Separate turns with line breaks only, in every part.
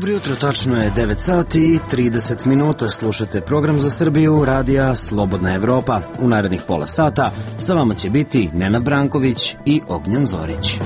Jutro, tačno je 9 sati i 30 minuta. Slušate program za Srbiju radija Slobodna Evropa. U narednih pola sata sa vama će biti Nenad Branković i Ognjan Zorić.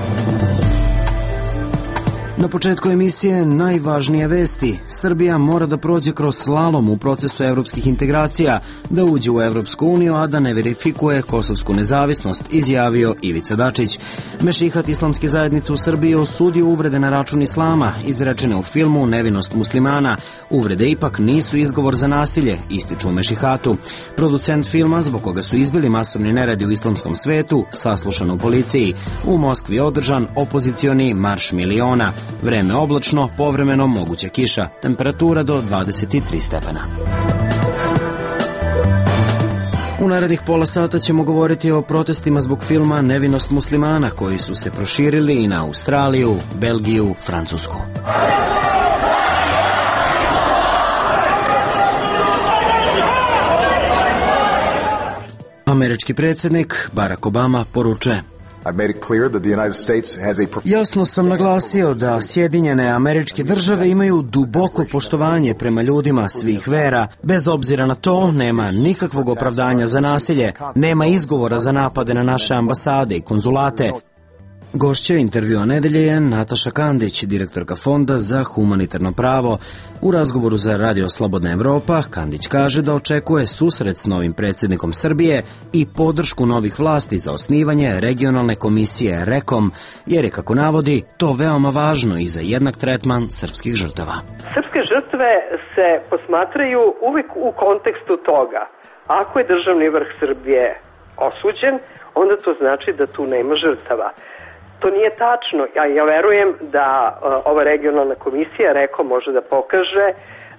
Na početku emisije najvažnije vesti. Srbija mora da prođe kroz slalom u procesu evropskih integracija, da uđe u Evropsku uniju, a da ne verifikuje kosovsku nezavisnost, izjavio Ivica Dačić. Mešihat islamske zajednice u Srbiji osudio uvrede na račun islama, izrečene u filmu Nevinost muslimana. Uvrede ipak nisu izgovor za nasilje, ističu u Mešihatu. Producent filma, zbog koga su izbili masovni neredi u islamskom svetu, saslušan u policiji. U Moskvi održan opozicioni marš miliona. Vreme oblačno, povremeno moguća kiša, temperatura do 23 stepena. U narednih pola sata ćemo govoriti o protestima zbog filma Nevinost muslimana, koji su se proširili i na Australiju, Belgiju, Francusku. Američki predsjednik Barack Obama poručuje: Jasno sam naglasio da Sjedinjene Američke Države imaju duboko poštovanje prema ljudima svih vera. Bez obzira na to, nema nikakvog opravdanja za nasilje, nema izgovora za napade na naše ambasade i konzulate. Gošća intervjua nedelje je Nataša Kandić, direktorka Fonda za humanitarno pravo. U razgovoru za Radio Slobodna Evropa, Kandić kaže da očekuje susret s novim predsjednikom Srbije i podršku novih vlasti za osnivanje regionalne komisije REKOM, jer je, kako navodi, to veoma važno i za jednak tretman srpskih žrtava.
Srpske žrtve se posmatraju uvijek u kontekstu toga. Ako je državni vrh Srbije osuđen, onda to znači da tu nema žrtava. To nije tačno. Ja verujem da ova regionalna komisija REKOM može da pokaže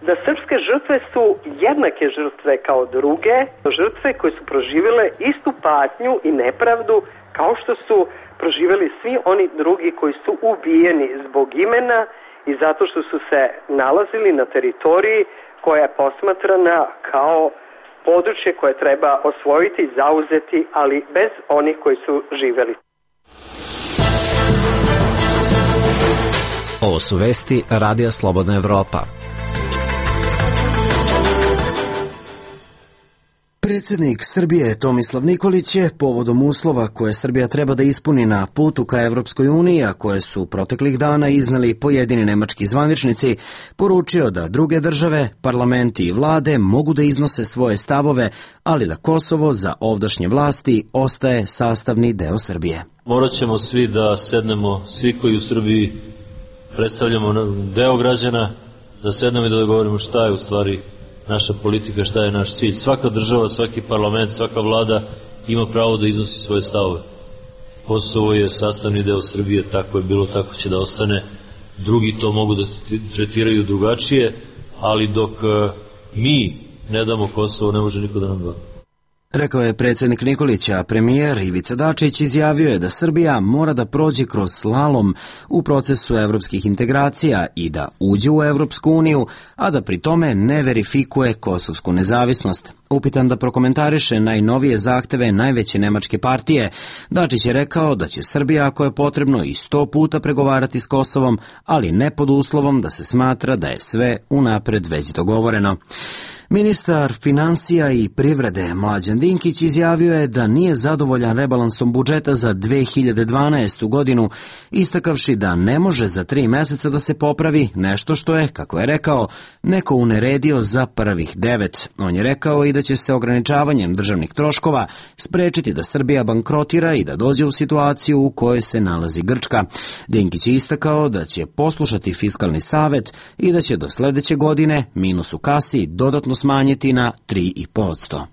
da srpske žrtve su jednake žrtve kao druge, žrtve koje su proživjele istu patnju i nepravdu kao što su proživjeli svi oni drugi koji su ubijeni zbog imena i zato što su se nalazili na teritoriji koja je posmatrana kao područje koje treba osvojiti i zauzeti, ali bez onih koji su živjeli.
Ovo su vesti Radija Slobodna Evropa.
Predsjednik Srbije Tomislav Nikolić je povodom uslova koje Srbija treba da ispuni na putu ka Evropskoj uniji, a koje su proteklih dana izneli pojedini nemački zvaničnici, poručio da druge države, parlamenti i vlade mogu da iznose svoje stavove, ali da Kosovo za ovdašnje vlasti ostaje sastavni deo Srbije.
Morat ćemo svi da sednemo, svi koji u Srbiji predstavljamo deo građana, da sednemo i da dogovorimo šta je u stvari naša politika, šta je naš cilj. Svaka država, svaki parlament, svaka vlada ima pravo da iznosi svoje stavove. Kosovo je sastavni deo Srbije, tako je bilo, tako će da ostane. Drugi to mogu da tretiraju drugačije, ali dok mi ne damo Kosovo, ne može niko da nam da.
Rekao je predsjednik Nikolić, a premijer Ivica Dačić izjavio je da Srbija mora da prođe kroz slalom u procesu evropskih integracija i da uđe u Evropsku uniju, a da pri tome ne verifikuje kosovsku nezavisnost. Upitan da prokomentariše najnovije zahteve najveće nemačke partije, Dačić je rekao da će Srbija, ako je potrebno, i 100 puta pregovarati s Kosovom, ali ne pod uslovom da se smatra da je sve unapred već dogovoreno. Ministar finansija i privrede Mlađan Dinkić izjavio je da nije zadovoljan rebalansom budžeta za 2012. godinu, istakavši da ne može za 3 meseca da se popravi nešto što je, kako je rekao, neko uneredio za prvih 9. On je rekao i da će se ograničavanjem državnih troškova sprečiti da Srbija bankrotira i da dođe u situaciju u kojoj se nalazi Grčka. Dinkić je istakao da će poslušati Fiskalni savet i da će do sledeće godine minus u kasi dodatno smanjiti na 3,5%.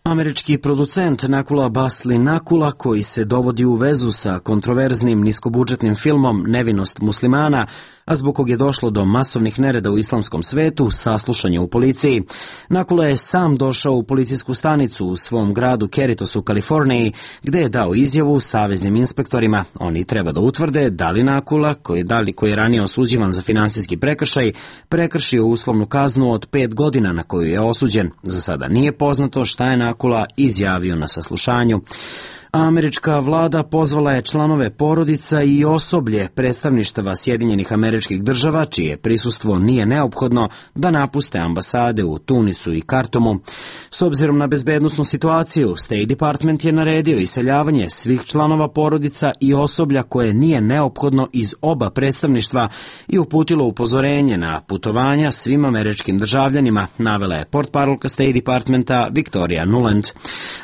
Američki producent Nakula Basli Nakula, koji se dovodi u vezu sa kontroverznim niskobudžetnim filmom Nevinost muslimana, a zbog kog je došlo do masovnih nereda u islamskom svetu, saslušan je u policiji. Nakula je sam došao u policijsku stanicu u svom gradu Cerritos u Kaliforniji, gde je dao izjavu saveznim inspektorima. Oni treba da utvrde da li Nakula, koji je ranije osuđivan za finansijski prekršaj, prekršio uslovnu kaznu od 5 godina na koju je osuđen. Za sada nije poznato šta je Nakula izjavio na saslušanju. Američka vlada pozvala je članove porodica i osoblje predstavništava Sjedinjenih Američkih Država, čije prisustvo nije neophodno, da napuste ambasade u Tunisu i Kartumu. S obzirom na bezbednosnu situaciju, State Department je naredio iseljavanje svih članova porodica i osoblja koje nije neophodno iz oba predstavništva i uputilo upozorenje na putovanja svim američkim državljanima, navela je portparolka State Departmenta Victoria Nuland.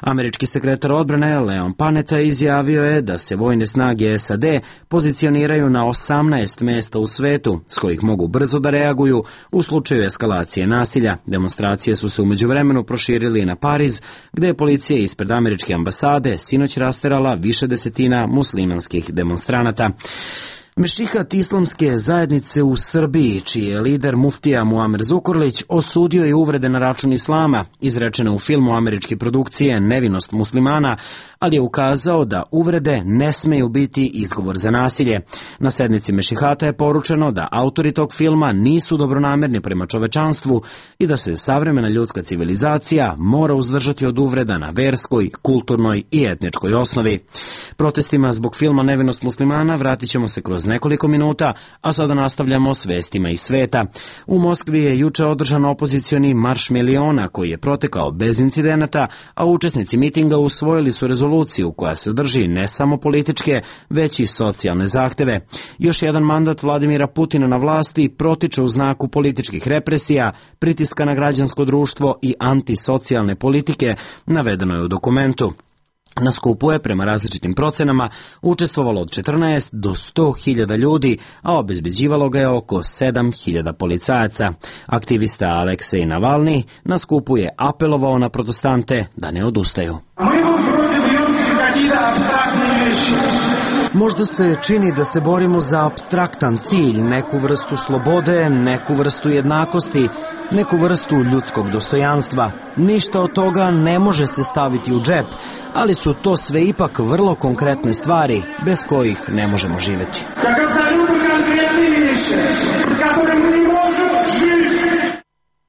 Američki sekretar odbrane Leon Panetta izjavio je da se vojne snage SAD pozicioniraju na 18 mesta u svetu, s kojih mogu brzo da reaguju u slučaju eskalacije nasilja. Demonstracije su se u međuvremenu proširili na Pariz, gde je policija ispred američke ambasade sinoć rasterala više desetina muslimanskih demonstranata. Mešihat islamske zajednice u Srbiji, čiji je lider muftija Muamer Zukorlić, osudio je uvrede na račun islama, izrečene u filmu američke produkcije Nevinost muslimana, ali je ukazao da uvrede ne smeju biti izgovor za nasilje. Na sednici Mešihata je poručeno da autori tog filma nisu dobronamerni prema čovečanstvu i da se savremena ljudska civilizacija mora uzdržati od uvreda na verskoj, kulturnoj i etničkoj osnovi. Protestima zbog filma Nevinost muslimana vratit ćemo se kroz nekoliko minuta, a sada nastavljamo s vestima iz sveta. U Moskvi je juče održan opozicioni marš miliona koji je protekao bez incidenata, a učesnici mitinga usvojili su rezoluciju koja sadrži ne samo političke, već i socijalne zahteve. Još jedan mandat Vladimira Putina na vlasti protiče u znaku političkih represija, pritiska na građansko društvo i antisocijalne politike, navedeno je u dokumentu. Na skupu je, prema različitim procenama, učestvovalo od 14 do 100.000 ljudi, a obezbeđivalo ga je oko 7.000 policajaca. Aktivista Aleksej Navalni na skupu je apelovao na protestante da ne odustaju. Možda se čini da se borimo za apstraktan cilj, neku vrstu slobode, neku vrstu jednakosti, neku vrstu ljudskog dostojanstva. Ništa od toga ne može se staviti u džep, ali su to sve ipak vrlo konkretne stvari bez kojih ne možemo živjeti.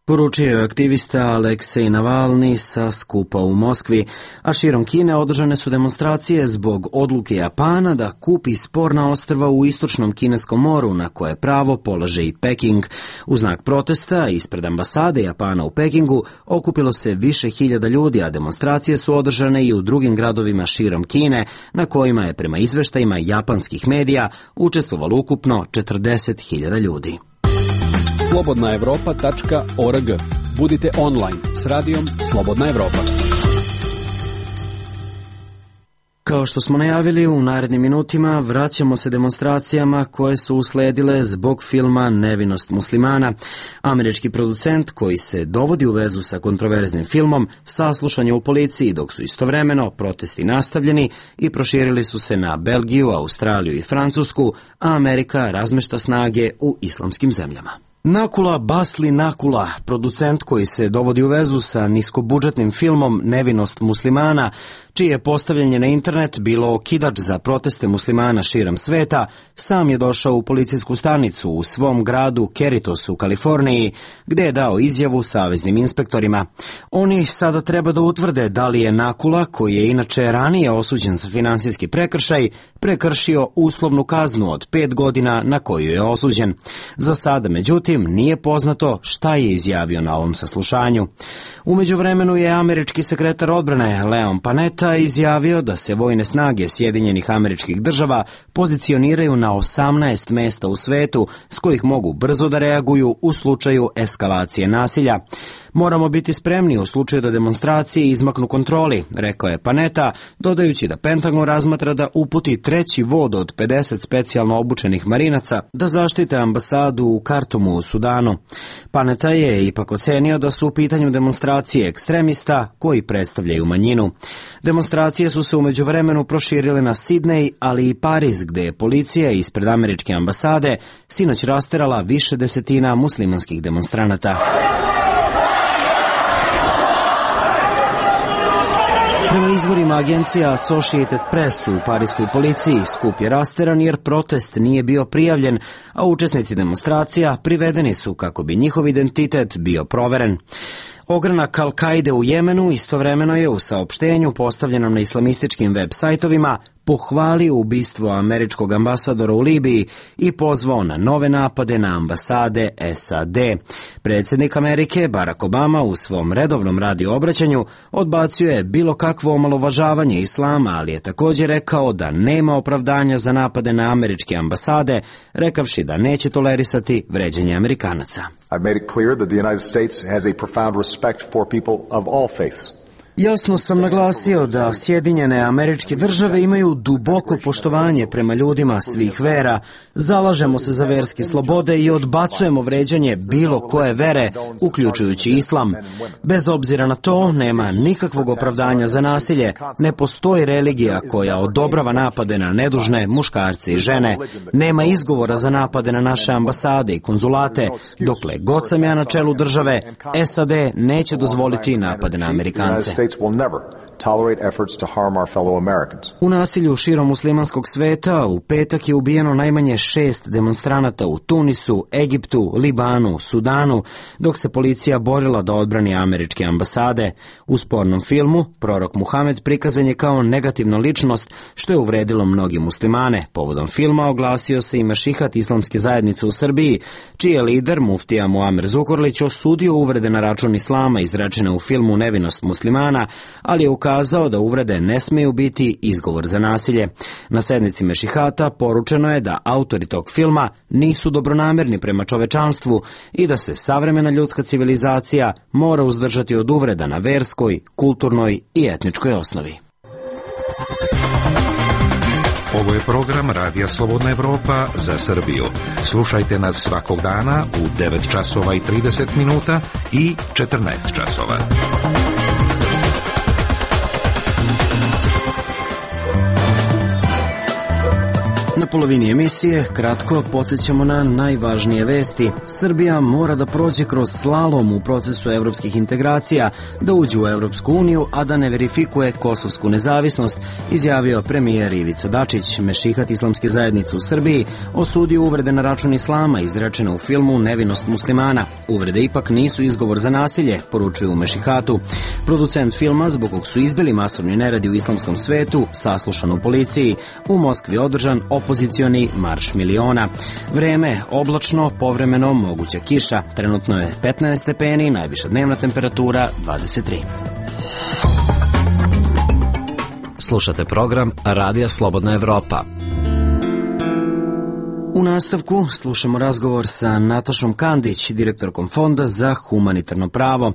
Poručio je aktivista Aleksej Navalni sa skupa u Moskvi, a širom Kine održane su demonstracije zbog odluke Japana da kupi sporna ostrva u istočnom kineskom moru na koje pravo polaže i Peking. U znak protesta ispred ambasade Japana u Pekingu okupilo se više hiljada ljudi, a demonstracije su održane i u drugim gradovima širom Kine, na kojima je prema izveštajima japanskih medija učestvovalo ukupno 40.000 ljudi.
slobodnaevropa.org. Budite online s radijom Slobodna Evropa.
Kao što smo najavili, u narednim minutima vraćamo se demonstracijama koje su usledile zbog filma Nevinost muslimana. Američki producent koji se dovodi u vezu sa kontroverznim filmom saslušan je u policiji, dok su istovremeno protesti nastavljeni i proširili su se na Belgiju, Australiju i Francusku, a Amerika razmešta snage u islamskim zemljama. Nakula Basli Nakula, producent koji se dovodi u vezu sa niskobudžetnim filmom Nevinost muslimana, čije postavljanje na internet bilo okidač za proteste muslimana širom sveta, sam je došao u policijsku stanicu u svom gradu Cerritos u Kaliforniji, gde je dao izjavu saveznim inspektorima. Oni sada treba da utvrde da li je Nakula, koji je inače ranije osuđen za finansijski prekršaj, prekršio uslovnu kaznu od 5 godina na koju je osuđen. Za sada, međutim, nije poznato šta je izjavio na ovom saslušanju. U međuvremenu je američki sekretar odbrane Leon Panetta izjavio da se vojne snage Sjedinjenih Američkih Država pozicioniraju na 18 mesta u svetu, s kojih mogu brzo da reaguju u slučaju eskalacije nasilja. Moramo biti spremni u slučaju da demonstracije izmaknu kontroli, rekao je Panetta, dodajući da Pentagon razmatra da uputi treći vod od 50 specijalno obučenih marinaca da zaštite ambasadu u Kartumu u Sudanu. Panetta je ipak ocenio da su u pitanju demonstracije ekstremista koji predstavljaju manjinu. Demonstracije su se u međuvremenu proširile na Sidnej, ali i Pariz, gde je policija ispred američke ambasade sinoć rasterala više desetina muslimanskih demonstranata. Prema izvorima agencija Associated Press u pariskoj policiji, skup je rasteran jer protest nije bio prijavljen, a učesnici demonstracija privedeni su kako bi njihov identitet bio proveren. Ogranak Al-Kaide u Jemenu istovremeno je u saopštenju postavljenom na islamističkim web sajtovima pohvalio ubistvo američkog ambasadora u Libiji i pozvao na nove napade na ambasade SAD. Predsjednik Amerike Barack Obama u svom redovnom radio obraćanju odbacio je bilo kakvo omalovažavanje islama, ali je također rekao da nema opravdanja za napade na američke ambasade, rekavši da neće tolerisati vređanje Amerikanaca.
I've made it clear that the United States has a profound respect for people of all faiths.
Jasno sam naglasio da Sjedinjene Američke Države imaju duboko poštovanje prema ljudima svih vera, zalažemo se za verske slobode i odbacujemo vređanje bilo koje vere, uključujući islam. Bez obzira na to, nema nikakvog opravdanja za nasilje, ne postoji religija koja odobrava napade na nedužne muškarce i žene, nema izgovora za napade na naše ambasade i konzulate, dokle god sam ja na čelu države, SAD neće dozvoliti napade na Amerikance. U nasilju širom muslimanskog sveta u petak je ubijeno najmanje 6 demonstranata u Tunisu, Egiptu, Libanu, Sudanu, dok se policija borila da odbrani američke ambasade. U spornom filmu prorok Muhamed prikazan je kao negativna ličnost, što je uvredilo mnogi muslimane. Povodom filma oglasio se i Mešihat islamske zajednice u Srbiji, čiji je lider muftija Muamer Zukorlić osudio uvrede na račun islama izrečene u filmu Nevinost muslimana, ali je ukazao da uvrede ne smeju biti izgovor za nasilje. Na sednici Mešihata poručeno je da autori tog filma nisu dobronamerni prema čovečanstvu i da se savremena ljudska civilizacija mora uzdržati od uvreda na verskoj, kulturnoj i etničkoj osnovi.
Ovo je program Radija Slobodna Evropa za Srbiju. Slušajte nas svakog dana u 9 časova i 30 minuta i 14 časova.
Na polovini emisije kratko podsjećamo na najvažnije vesti. Srbija mora da prođe kroz slalom u procesu evropskih integracija, da uđe u Evropsku uniju, a da ne verifikuje kosovsku nezavisnost, izjavio premijer Ivica Dačić. Mešihat islamske zajednice u Srbiji osudio uvrede na račun islama izrečene u filmu Nevinost muslimana. Uvrede ipak nisu izgovor za nasilje, poručuju u Mešihatu. Producent filma, zbog kog su izbili masovni neredi u islamskom svetu, saslušan u policiji. U Moskvi održan opozicioni marš miliona. Vreme oblačno, povremeno moguća kiša. Trenutno je 15 stepeni, najviša dnevna temperatura 23.
Slušate program Radija Slobodna Evropa.
U nastavku slušamo razgovor sa Natašom Kandić, direktorkom Fonda za humanitarno pravo.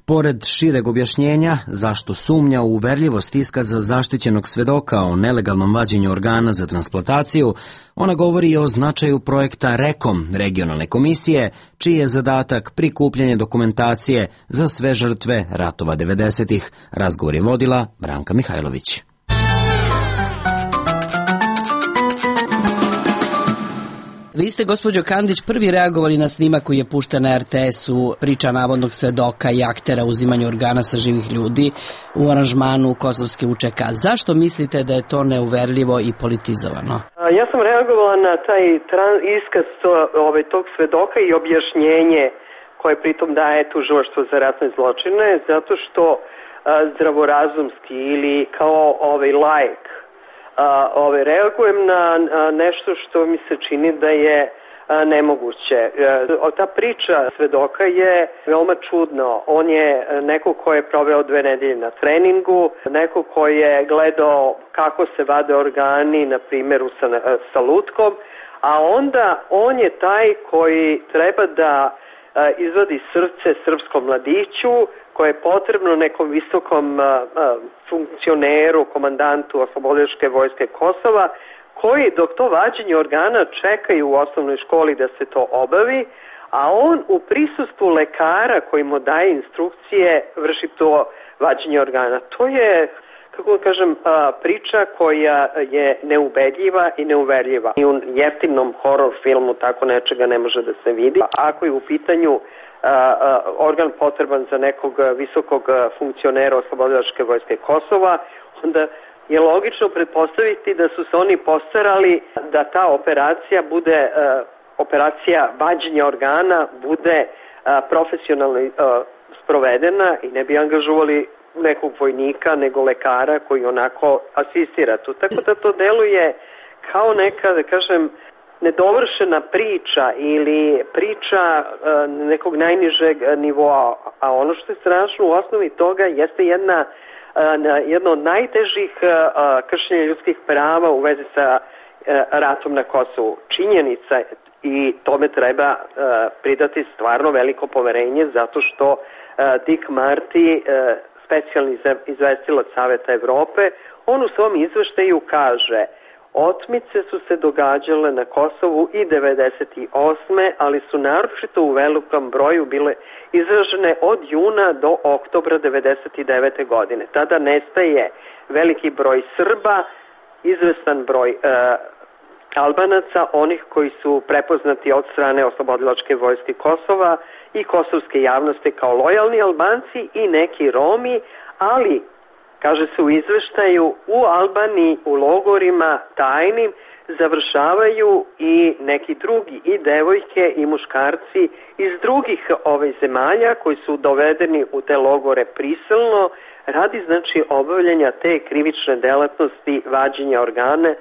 Pored šireg objašnjenja zašto sumnja u uverljivost iskaza zaštićenog svedoka o nelegalnom vađenju organa za transplantaciju, ona govori o značaju projekta REKOM, regionalne komisije, čiji je zadatak prikupljanje dokumentacije za sve žrtve ratova 90-ih. Razgovor je vodila Branka Mihajlović.
Vi ste, gospođo Kandić, prvi reagovali na snimak koji je pušten na RTS-u, priča navodnog svedoka i aktera uzimanju organa sa živih ljudi u aranžmanu kosovske UČK. Zašto mislite da je to neuverljivo i politizovano?
Ja sam reagovala na taj iskaz tog svedoka i objašnjenje koje pritom daje Tužilaštvo za ratne zločine, zato što zdravorazumski ili kao laik reagujem na nešto što mi se čini da je nemoguće. Ta priča svedoka je veoma čudno. On je neko ko je proveo 2 nedelje na treningu, neko ko je gledao kako se vade organi, na primjeru sa lutkom, a onda on je taj koji treba da izvadi srce srpskom mladiću koje je potrebno nekom visokom funkcioneru, komandantu Oslobodilačke vojske Kosova, koji dok to vađenje organa čekaju u osnovnoj školi da se to obavi, a on u prisustvu lekara koji mu daje instrukcije vrši to vađenje organa. To je, kako kažem, priča koja je neubedljiva i neuverljiva. I u jeftinom horor filmu tako nečega ne može da se vidi. Ako je u pitanju organ potreban za nekog visokog funkcionera Oslobodilačke vojske Kosova, onda je logično pretpostaviti da su se oni postarali da ta operacija bude, operacija vađenja organa bude profesionalno sprovedena i ne bi angažovali nekog vojnika nego lekara koji onako asistira tu. Tako da to deluje kao neka, da kažem, nedovršena priča ili priča nekog najnižeg nivoa, a ono što je strašno u osnovi toga jeste jedno od najtežih kršenja ljudskih prava u vezi sa ratom na Kosovu. Činjenica i tome treba pridati stvarno veliko poverenje zato što Dick Marty, specijalni izvestilac Saveta Evrope, on u svom izveštaju kaže: otmice su se događale na Kosovu i 98. ali su naročito u velikom broju bile izražene od juna do oktobra 99. godine. Tada nestaje veliki broj Srba, izvestan broj Albanaca, onih koji su prepoznati od strane Oslobodilačke vojske Kosova i kosovske javnosti kao lojalni Albanci i neki Romi, ali kaže se u izveštaju, u Albaniji, u logorima tajnim završavaju i neki drugi, i devojke i muškarci iz drugih zemalja koji su dovedeni u te logore prisilno radi znači obavljanja te krivične delatnosti vađenja organa,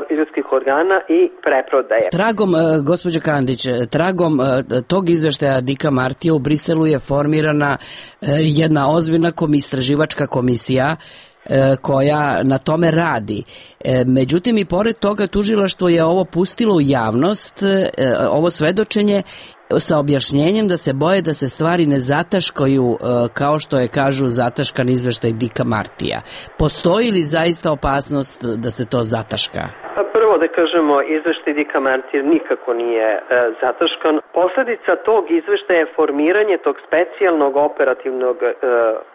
ljudskih organa i preprodaje.
Tragom, gospođo Kandić, tragom tog izveštaja Dicka Martija u Briselu je formirana jedna ozbiljna istraživačka komisija koja na tome radi. Međutim, i pored toga tužilaštvo je ovo pustilo u javnost, ovo svedočenje, sa objašnjenjem da se boje da se stvari ne zataškaju kao što je, kažu, zataškan izveštaj Dicka Martija. Postoji li zaista opasnost da se to zataška?
Prvo da kažemo, izveštaj Dicka Martija nikako nije zataškan. Posledica tog izveštaja je formiranje tog specijalnog operativnog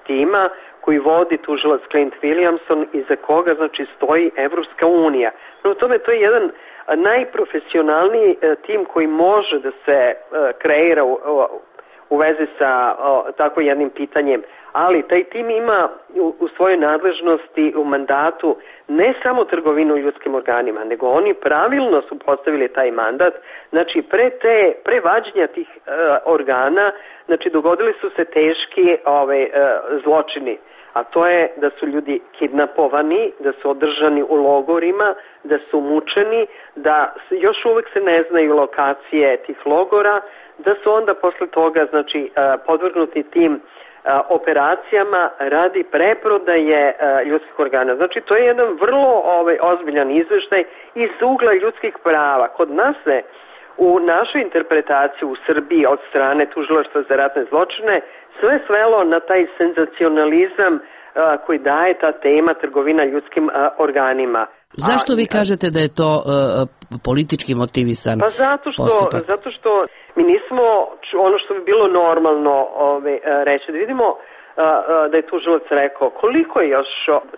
tima koji vodi tužilac Clint Williamson i za koga znači stoji Evropska unija. No, tome to je jedan najprofesionalniji tim koji može da se kreira u vezi sa tako jednim pitanjem, ali taj tim ima u svojoj nadležnosti u mandatu ne samo trgovinu ljudskim organima, nego oni pravilno su postavili taj mandat. Znači pre vađenja tih organa, znači dogodili su se teški zločini, a to je da su ljudi kidnapovani, da su održani u logorima, da su mučeni, da još uvek se ne znaju lokacije tih logora, da su onda posle toga znači podvrgnuti tim operacijama radi preprodaje ljudskih organa. Znači to je jedan vrlo ozbiljan izveštaj iz ugla ljudskih prava. Kod nas se u našoj interpretaciji u Srbiji od strane Tužilaštva za ratne zločine sve svelo na taj senzacionalizam koji daje ta tema trgovina ljudskim organima.
Zašto vi kažete da je to politički motivisan postupak?
Zato što mi nismo, ono što bi bilo normalno reći, da vidimo da je tužilac rekao koliko je još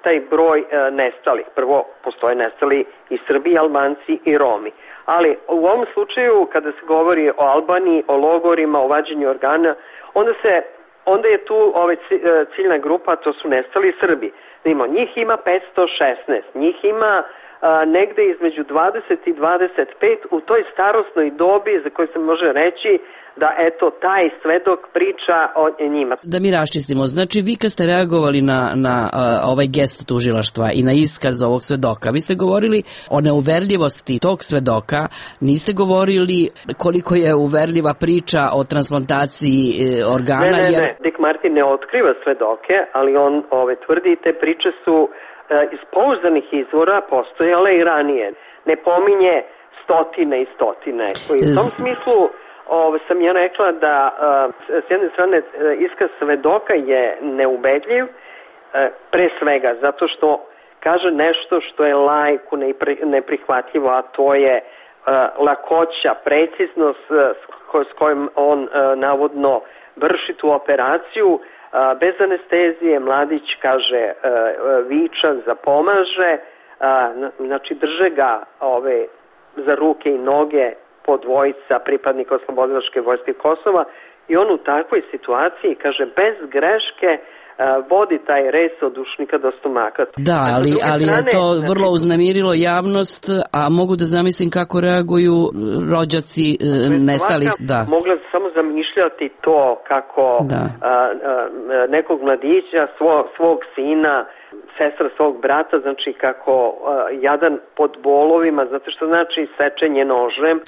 taj broj nestalih. Prvo, postoje nestali i Srbi, i Albanci, i Romi. Ali u ovom slučaju, kada se govori o Albaniji, o logorima, o vađenju organa, onda je tu ciljna grupa, to su nestali Srbi. Njih ima 516, njih ima negde između 20 i 25 u toj starosnoj dobi za koju se može reći da eto taj svedok priča o njima.
Da mi raščistimo, znači vi kad ste reagovali na ovaj gest tužilaštva i na iskaz ovog svedoka, vi ste govorili o neuverljivosti tog svedoka, niste govorili koliko je uverljiva priča o transplantaciji organa?
Ne. Dick Marty ne otkriva svedoke, ali on tvrdi te priče su iz pouzdanih izvora postojale i ranije. Ne pominje stotine i stotine. U tom smislu sam ja rekla da s jedne strane iskaz svedoka je neubedljiv, pre svega zato što kaže nešto što je laiku neprihvatljivo, a to je lakoća, preciznost s kojom on navodno vrši tu operaciju, bez anestezije. Mladić kaže viča, zapomaže, znači drže ga za ruke i noge po dvojica pripadnika Oslobodilačke vojske Kosova i on u takvoj situaciji, kaže, bez greške vodi taj res od dušnika do stomaka.
Da, ali je to vrlo uznemirilo javnost, a mogu da zamislim kako reaguju rođaci nestalih. Da.
Mogla samo zamišljati to kako nekog mladića, svog sina, sestra svog brata, znači kako jadan pod bolovima, zato što znači sečenje nožem.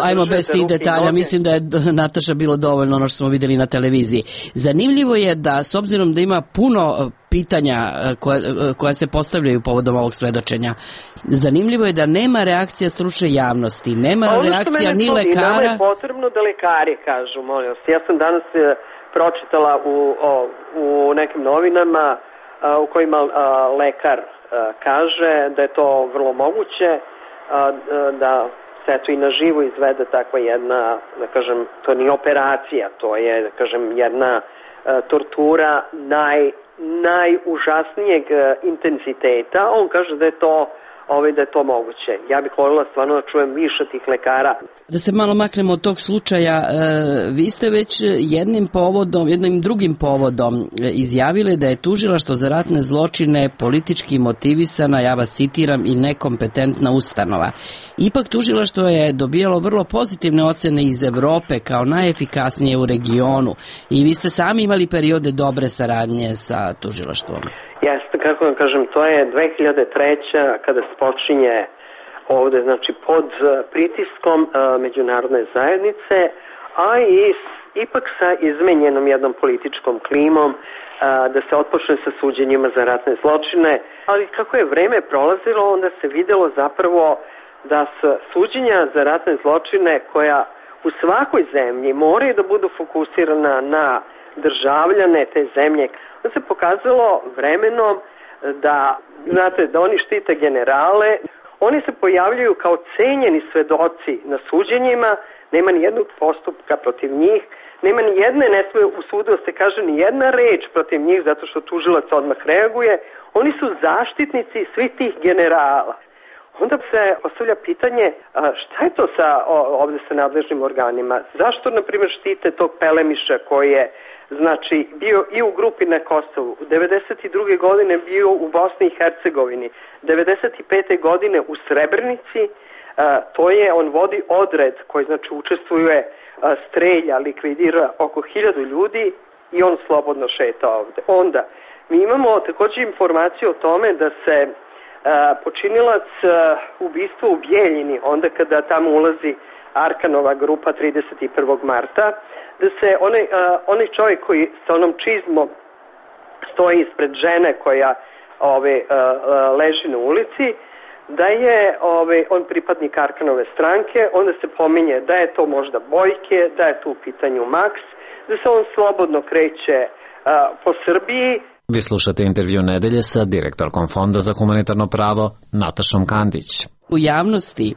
Ajmo bez tih detalja, mislim da je Nataša bilo dovoljno ono što smo videli na televiziji. Zanimljivo je da, s obzirom da ima puno pitanja koja se postavljaju povodom ovog svedočenja, zanimljivo je da nema reakcija stručne javnosti, nema reakcija ni lekara.
Nama je potrebno da lekari kažu, molim vas. Ja sam danas pročitala u nekim novinama u kojima lekar kaže da je to vrlo moguće, da se eto i na živo izvede takva jedna, da kažem, to nije operacija, to je, da kažem, jedna tortura najužasnijeg intenziteta. On kaže da je to moguće. Ja bih voljela stvarno da čujem više tih lekara.
Da se malo maknemo od tog slučaja, vi ste već jednim drugim povodom izjavili da je tužilaštvo za ratne zločine politički motivisana, ja vas citiram, i nekompetentna ustanova. Ipak tužilaštvo je dobijalo vrlo pozitivne ocene iz Evrope kao najefikasnije u regionu i vi ste sami imali periode dobre saradnje sa tužilaštvom.
Jeste, kako vam kažem, to je 2003. kada se počinje ovde, znači pod pritiskom međunarodne zajednice, a i ipak sa izmenjenom jednom političkom klimom, da se otpočne sa suđenjima za ratne zločine, ali kako je vreme prolazilo, onda se videlo zapravo da suđenja za ratne zločine koja u svakoj zemlji moraju da budu fokusirana na državljane te zemlje, da se pokazalo vremenom da, znate, da oni štite generale, oni se pojavljaju kao cenjeni svedoci na suđenjima, nema ni jednog postupka protiv njih, nema ni jedne, ne sme u sudu da se kaže ni jedna reč protiv njih zato što tužilac odmah reaguje, oni su zaštitnici svih tih generala. Onda se postavlja pitanje šta je to ovde sa nadležnim organima, zašto, na primjer, štite tog Pelemiša koji je, znači, bio i u grupi na Kosovu, 92. godine bio u Bosni i Hercegovini, 95. godine u Srebrenici, on vodi odred koji, znači, učestvuje, strelja, likvidira oko 1000 ljudi i on slobodno šeta ovde. Onda, mi imamo također informaciju o tome da se počinilac ubistva u Bijeljini, onda kada tamo ulazi Arkanova grupa 31. marta, da se onaj čovjek koji sa onom čizmom stoji ispred žene koja leži na ulici, da je on pripadnik Arkanove stranke, onda se pominje da je to možda Bojke, da je tu u pitanju Maks, da se on slobodno kreće po Srbiji.
Vi slušate intervju nedelje sa direktorkom Fonda za humanitarno pravo Natašom Kandić.
U javnosti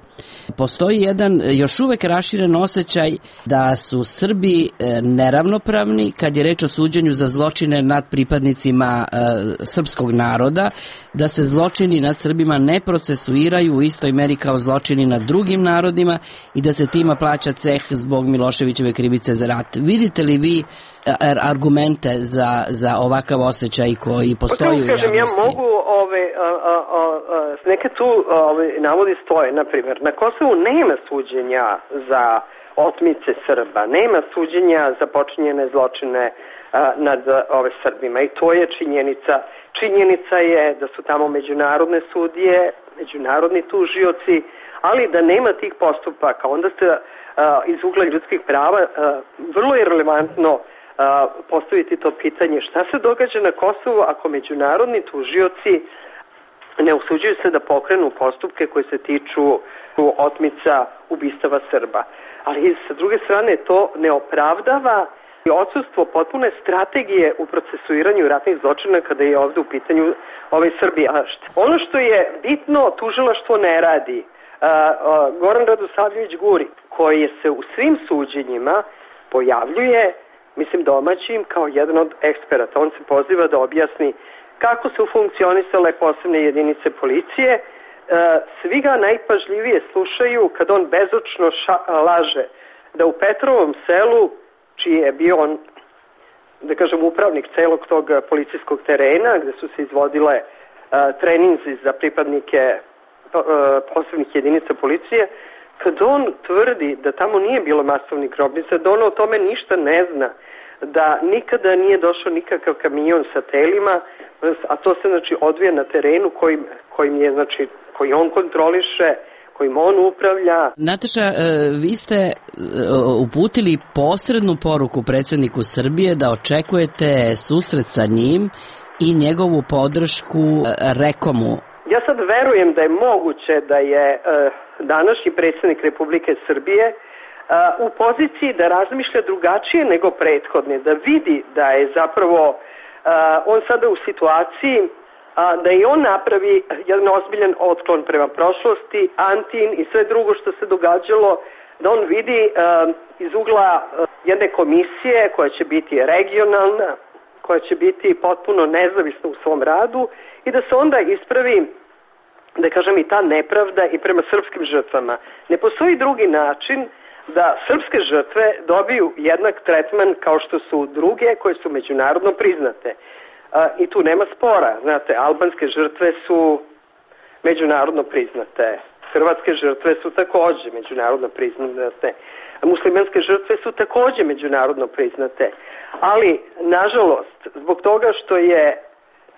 postoji jedan još uvek raširen osjećaj da su Srbi neravnopravni kad je reč o suđenju za zločine nad pripadnicima srpskog naroda, da se zločini nad Srbima ne procesuiraju u istoj meri kao zločini nad drugim narodima i da se tima plaća ceh zbog Miloševićeve krivice za rat. Vidite li vi argumente za ovakav osjećaj koji postoji u javnosti?
Ja mogu neke tu navodi stoje, na primjer, na Kosovu nema suđenja za otmice Srba, nema suđenja za počinjene zločine nad Srbima i to je činjenica. Činjenica je da su tamo međunarodne sudije, međunarodni tužioci, ali da nema tih postupaka. Onda se iz ugla ljudskih prava vrlo je relevantno postaviti to pitanje šta se događa na Kosovu ako međunarodni tužioci ne usuđuju se da pokrenu postupke koji se tiču otmica ubistava Srba. Ali sa druge strane to ne opravdava i odsustvo potpune strategije u procesuiranju ratnih zločina kada je ovde u pitanju Srbija. Ono što je bitno, tužilaštvo ne radi. Goran Radosavljević Guri, koji se u svim suđenjima pojavljuje, mislim domaćim, kao jedan od eksperata. On se poziva da objasni kako su funkcionisale posebne jedinice policije. Svi ga najpažljivije slušaju kad on bezočno laže da u Petrovom selu, čiji je bio on, da kažem, upravnik celog tog policijskog terena, gde su se izvodile treninzi za pripadnike posebnih jedinica policije, kad on tvrdi da tamo nije bilo masovnih grobnica, da on o tome ništa ne zna, da nikada nije došao nikakav kamion sa telima, a to se znači odvija na terenu kojim je, znači, koji on kontroliše, kojim on upravlja.
Nataša, vi ste uputili posrednu poruku predsjedniku Srbije da očekujete susret sa njim i njegovu podršku Rekomu.
Ja sad verujem da je moguće da je današnji predsjednik Republike Srbije u poziciji da razmišlja drugačije nego prethodni, da vidi da je zapravo on sada u situaciji da i on napravi jedan ozbiljan otklon prema prošlosti, Antin i sve drugo što se događalo, da on vidi iz ugla jedne komisije koja će biti regionalna, koja će biti potpuno nezavisna u svom radu i da se onda ispravi, da kažem, i ta nepravda i prema srpskim žrtvama. Ne postoji drugi način da srpske žrtve dobiju jednak tretman kao što su druge koje su međunarodno priznate. I tu nema spora. Znate, albanske žrtve su međunarodno priznate. Hrvatske žrtve su takođe međunarodno priznate. Muslimanske žrtve su takođe međunarodno priznate. Ali, nažalost, zbog toga što je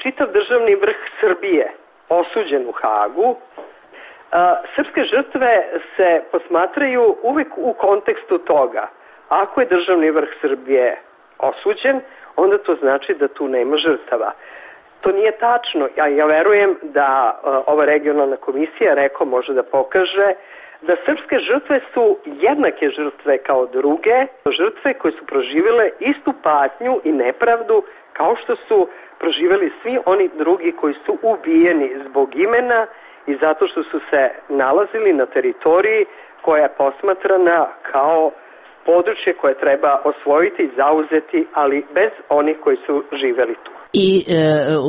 čitav državni vrh Srbije osuđen u Hagu, srpske žrtve se posmatraju uvek u kontekstu toga. Ako je državni vrh Srbije osuđen, onda to znači da tu nema žrtava. To nije tačno. Ja verujem da ova regionalna komisija Reko može da pokaže da srpske žrtve su jednake žrtve kao druge, žrtve koje su proživjele istu patnju i nepravdu kao što su proživjeli svi oni drugi koji su ubijeni zbog imena i zato što su se nalazili na teritoriji koja je posmatrana kao područje koje treba osvojiti i zauzeti, ali bez onih koji su živeli tu.
I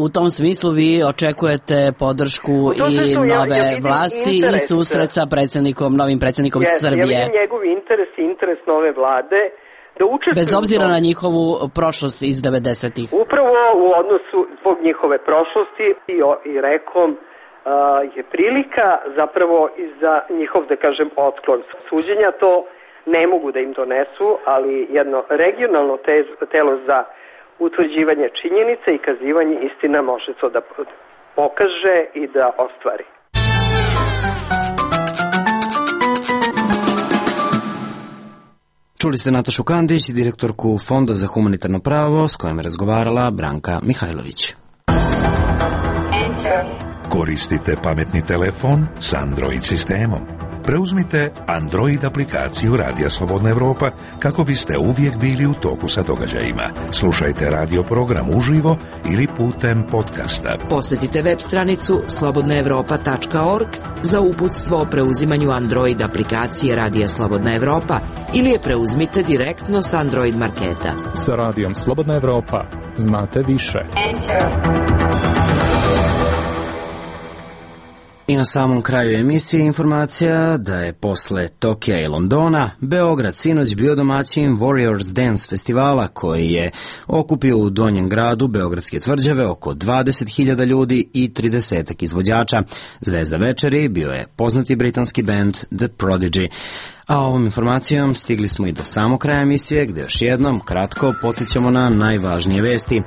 u tom smislu vi očekujete podršku i nove vlasti i susret sa novim predsjednikom Srbije.
Ja vidim njegov interes i interes nove vlade da učestvuju.
Bez obzira na njihovu prošlost iz 90-ih.
Upravo u odnosu zbog njihove prošlosti i Rekom je prilika zapravo i za njihov, da kažem, otklon suđenja. To ne mogu da im donesu, ali jedno regionalno telo za utvrđivanje činjenica i kazivanje istina može to da pokaže i da ostvari.
Čuli ste Natašu Kandić, direktorku Fonda za humanitarno pravo, s kojom je razgovarala Branka Mihajlović.
Koristite pametni telefon s Android sistemom. Preuzmite Android aplikaciju Radija Slobodna Evropa kako biste uvijek bili u toku sa događajima. Slušajte radio program uživo ili putem podcasta.
Posjetite web stranicu slobodnaevropa.org za uputstvo o preuzimanju Android aplikacije Radija Slobodna Evropa ili je preuzmite direktno s Android marketa.
Sa Radijom Slobodna Evropa znate više.
I na samom kraju emisije informacija da je posle Tokija i Londona Beograd sinoć bio domaćin Warriors Dance festivala koji je okupio u Donjem gradu Beogradske tvrđave oko 20.000 ljudi i 30 izvođača. Zvezda večeri bio je poznati britanski band The Prodigy. A ovom informacijom stigli smo i do samog kraja emisije, gde još jednom kratko podsjećamo na najvažnije vesti.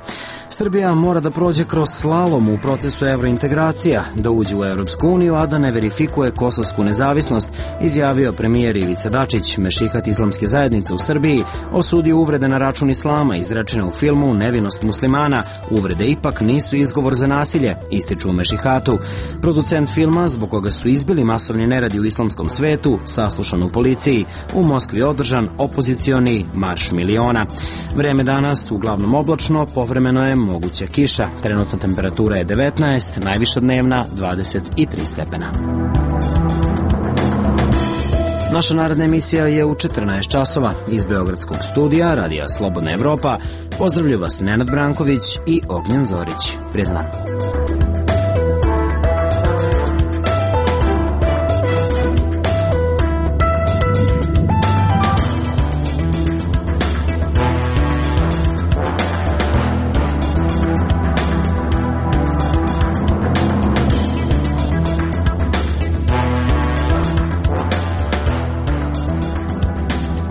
Srbija mora da prođe kroz slalom u procesu evrointegracija, da uđe u Evropsku uniju, a da ne verifikuje kosovsku nezavisnost, izjavio premijer Ivica Dačić. Mešihat islamske zajednice u Srbiji osudio uvrede na račun islama izrečene u filmu Nevinost muslimana. Uvrede ipak nisu izgovor za nasilje, ističu u Mešihatu. Producent filma, zbog koga su izbili masovni neradi u islamskom svetu, saslušan u policiji. U Moskvi održan opozicioni marš miliona. Vreme danas uglavnom oblačno, povremeno je moguća kiša. Trenutna temperatura je 19, najviša dnevna 23 stepena. Naša naredna emisija je u 14 časova. Iz Beogradskog studija Radija Slobodna Evropa pozdravlju vas Nenad Branković i Ognjen Zorić. Prijetan dan.